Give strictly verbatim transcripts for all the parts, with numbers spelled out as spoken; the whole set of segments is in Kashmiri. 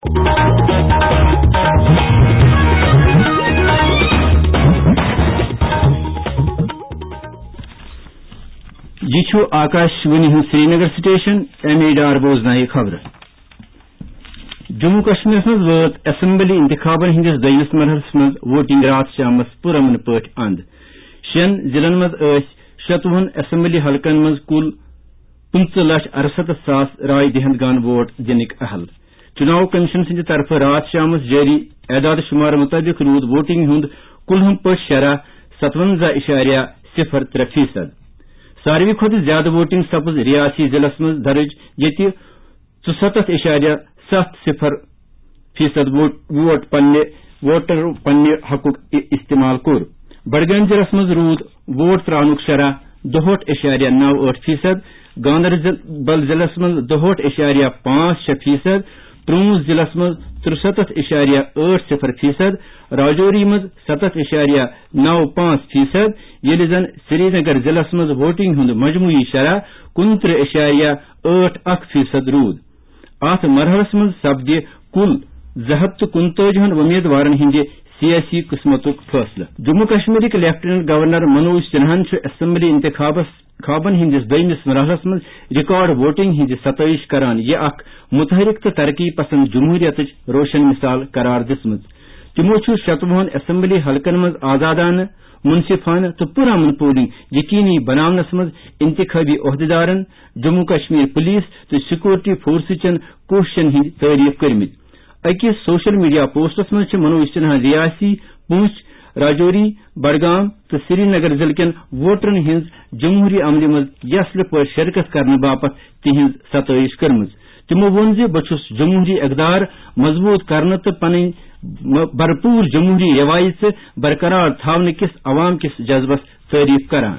یہِ چھُ آکاش وانی ہُنٛد Srinagar station, M E Dar بوزنایہِ خبرٕ۔ جموں کشمیرس منٛز وٲژ اسمبلی انتخابن ہٕنٛدِس دوٚیمِس مرحلس منٛز ووٹنگ راتھ شامس پرامن پٲٹھۍ اند۔ شٮ۪ن ضلعن منٛز ٲسۍ شتوُہن اسمبلی حلقن منٛز کُل پٕنٛژٕہ لچھ ارستتھ ساس راے دہندگان ووٹ دِنٕکۍ اہل۔ چُناو کمیشن سٕنٛدِ طرفہٕ راتھ شامس جٲری اعداد شُمار مُطٲبِق روٗد ووٹنگ ہُنٛد کُلہُم پٲٹھۍ شرح ستونزہ اِشاریہ صفر ترٛےٚ فیصد۔ ساروی کھۄتہٕ زیادٕ ووٹنگ سپٕز ریاسی ضلعس منٛز درٕج، ییٚتہِ ژُستتھ اِشاریہ ستھ صفر فیصد ووٹ، ووٹ پننہِ، ووٹر پننہِ حقُک ا-، استعمال کوٚر۔ بڈگٲمۍ ضلعس منٛز روٗد ووٹ ترٛاونُک شرح دُہٲٹھ اِشاریہ نو ٲٹھ فیصد، گاندربل ضلعس منٛز دُہٲٹھ اِشاریہ پانٛژھ شےٚ فیصد، پرونز ضلعس منٛز ترُستتھ اِشاریہ ٲٹھ صفر فیصد، راجوری منٛز ستتھ اِشاریہ نو پانٛژھ فیصد، ییٚلہِ زن سرینگر ضلعس منٛز ووٹنگ ہُنٛد مجموعی شرح کُنترٕہ اِشاریہ ٲٹھ اکھ فیصد روٗد۔ اتھ مرحلس منٛز سپدِ کُل زٕ ہتھ تہٕ کُنتٲجی ہن وۄمیدوارن ہٕنٛدِ سیٲسی قٕسمتُک فٲصلہٕ۔ جموں کشمیرٕکۍ لیفٹیننٹ گورنر منوج سنہاہن چھُ اسمبلی انتخابس، انتخابن ہٕنٛدِس دوٚیمِس مرحلس منٛز ریکارڈ ووٹنگ ہٕنٛز ستٲیش کران۔ یہِ اکھ متحرک تہٕ ترقی پسند جمہوریتٕچ روشن مثال قرار دِژمٕژ۔ تِمو چھُ شتوُہن اسمبلی حلقن منٛز آزادانہٕ، منصفانہٕ تہٕ پرامن پولنگ یقینی بناونس منٛز انتخابی عہدیدارن، جموں کشمیر پولیس تہٕ سیکورٹی فورسہٕ چٮ۪ن کوٗششن ہٕنٛدۍ تعریف کٔرمٕتۍ۔ أکِس سوشل میڈیا پوسٹس منٛز چھِ منوج سنہا ریاسی، پونچھ، راجوری، بڈگام تہٕ سرینگر ضلعہٕ کٮ۪ن ووٹرن ہٕنٛز جمہوری عملہِ منٛز یسلہِ پٲٹھۍ شرکت کرنہٕ باپتھ تِہنٛز ستٲیش کٔرمٕژ۔ تِمو ووٚن زِ بہٕ چھُس جمہوری اقدار مضبوط کرنہٕ تہٕ پنٕنۍ م-، بھرپور جمہوری روایژٕ برقرار تھاونہٕ کِس عوام کِس جذبس تعریف کران۔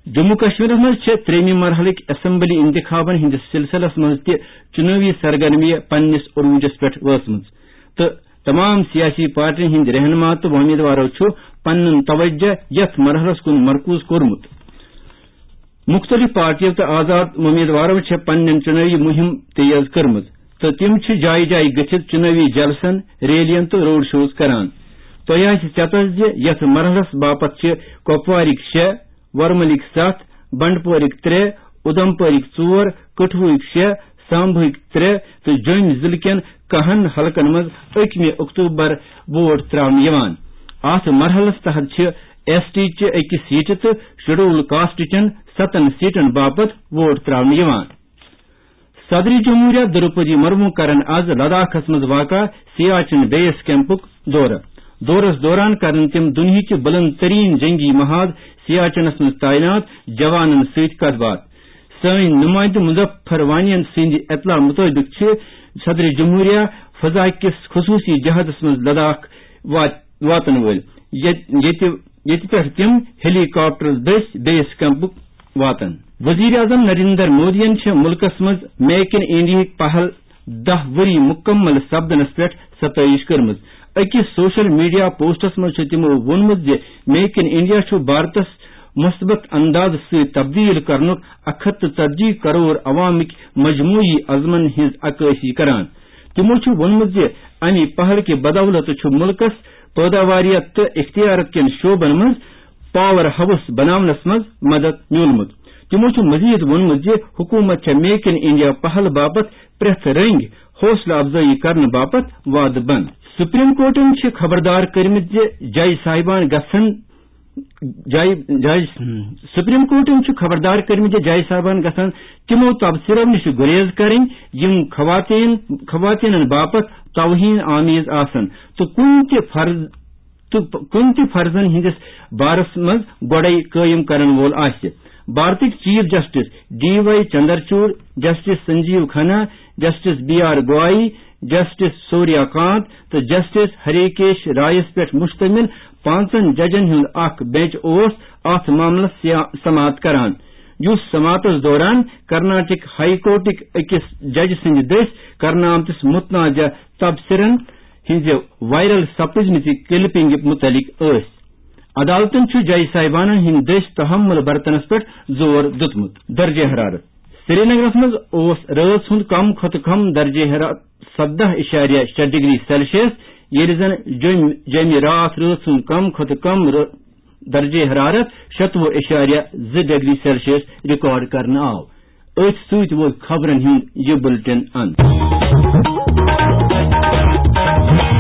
جموں کشمیرس منٛز چھِ ترٛیٚیمہِ مرحلٕکۍ اسمبلی انتخابن ہٕنٛدِس سلسلس منٛز تہِ چُنٲوی سرگرمیہِ پننِس عروجس پٮ۪ٹھ وٲژمٕژ تہٕ تمام سیاسی پارٹین ہٕنٛدۍ رہنما تہٕ وۄمیدوارو چھُ پنُن توجہ یتھ مرحلس کُن مرکوز کوٚرمُت۔ مُختٔلِف پارٹیو تہٕ آزاد وۄمیدوارو چھےٚ پننٮ۪ن چُنٲوی مُہِم تیز کٔرمٕژ تہٕ تِم چھِ جایہِ جایہِ گٔژھِتھ چُنٲوی جلسن، ریلین تہٕ روڈ شوز کران۔ تۄہہِ آسہِ ژٮ۪تس زِ یتھ مرحلس باپتھ چھِ کۄپوارٕکۍ شےٚ، ورملٕکۍ ستھ، بنڈپورٕکۍ ترٛےٚ، اُدمپورٕکۍ ژور، کٹھوہٕکۍ شےٚ، سامبہٕکۍ ترٛےٚ تہٕ جوٚمۍ ضلعہٕ کٮ۪ن کاہن حلقن منٛز ٲٹھمہِ اکتوبر ووٹ ترٛاونہٕ یِوان۔ اتھ مرحلس تحت چھِ ایس ٹی چہِ أکِس سیٹہِ تہٕ شیڈول کاسٹ چٮ۪ن ستن سیٹن باپتھ ووٹ ترٛاونہٕ یِوان۔ صدر جمہوریہ درپدی مرمو کرن از لداخس منٛز واقع سیاچن بیس کیمپُک دورٕ۔ دورس دوران کرن تِم دُنیہٕچہِ بلند ترین جنگی محاذ سیاچنس منٛز تعینات جوانن سۭتۍ کتھ باتھ۔ سٲنۍ نمائندٕ مظفر وانین سٕنٛدِ اطلاع مطٲبق چھِ صدر جمہوریہ فضا کِس خصوصی جہازس منٛز لداخ وات-، واتن وٲلۍ، ییٚتہِ، ییٚتہِ، ییٚتہِ پٮ۪ٹھ تِم ہیلی کاپٹر دٔسۍ بیس کیمپُک واتن۔ وزیر اعظم نریندر مودیَن چھِ مُلکَس منٛز میک ان انڈیاہٕکۍ پہل دَہ ؤری مُکمل سپدنَس پٮ۪ٹھ ستٲیِش کٔرمٕژ۔ أکِس سوشل میڈیا پوسٹَس منٛز چھُ تِمَو ووٚنمُت زِ میک ان انڈیا چھُ بھارتَس مثبت انداز سۭتۍ تبدیل کرنُک اکھ ہتھ تہٕ ژتجی کرور عوامٕکۍ مجموعی عزمَن ہٕنٛز عکٲسی کران۔ تِمَو چھُ ووٚنمُت زِ اَمہِ پہل کہِ بدولت چھُ مُلکَس پٲداواریت تہٕ اختیارت کٮ۪ن شعبَن منٛز پاور ہاؤس بناونس منٛز مدد میولمُت۔ تِمَو چھُ مزید ووٚنمُت زِ حکوٗمت چھےٚ میک ان انڈیا پہل باپتھ پرٛٮ۪تھ رٔنگۍ حوصلہٕ افزٲیی کرنہٕ باپتھ وعدٕ بنٛد۔ سپریم کورٹَن چھِ خبردار کٔرمٕتۍ زِ جج صاحبان گژھن، جج، جج، سپریم کورٹَن چھُ خبردار کٔرمٕتۍ زِ جج صاحبان گژھن تِمو تبصرو نِش گُریز کرٕنۍ، یِم خواتین، خواتینَن باپتھ توہین آمیز آسن تہٕ کُنہِ تہِ فرض تہٕ کُنہِ تہِ فرضن ہٕنٛدِس بارس منٛز گۄڈَے قٲیِم کرن وول آسہِ۔ بھارتٕکۍ chief justice D Y Chandrachud, justice Sanjiv Khanna, justice B R Gavai, justice Surya Kant تہٕ جسٹس ہریکیش رائیس پٮ۪ٹھ مشتمل پانٛژن ججن ہُنٛد اکھ بینچ اوس اتھ معاملس سیا-، سماعت کران، یُس سماعتس دوران کرناٹک ہائی کورٹٕکۍ أکِس جج سٕنٛدِ دٔسۍ کرنہٕ آمتِس متنازعہ تبصرن ہٕنٛزِ وائرل سپٕزمٕژِ کلپنگہِ مُتعلق ٲسۍ۔ عدالتَن چھُ جج صاحبانَن ہٕنٛدۍ دٔسۍ تحمل برتنَس پٮ۪ٹھ زور دیُتمُت۔ درجہ حرارت۔ سرینگرس منٛز اوس رٲژ ہُنٛد کم کھۄتہٕ کم درجہ حرارت سدہ اِشاریہ شےٚ ڈگری سیلسیس، ییٚلہِ زن جوٚمۍ، جوٚمہِ راتھ رٲژ ہُنٛد کم کھۄتہٕ کم رٲ-، درجہ حرارت شتوُہ اِشاریہ زٕ ڈگری سیلسیس ریکارڈ کرنہٕ آو۔ أتھۍ سۭتۍ ووت خبرن ہُنٛد یہِ بُلٹن اند۔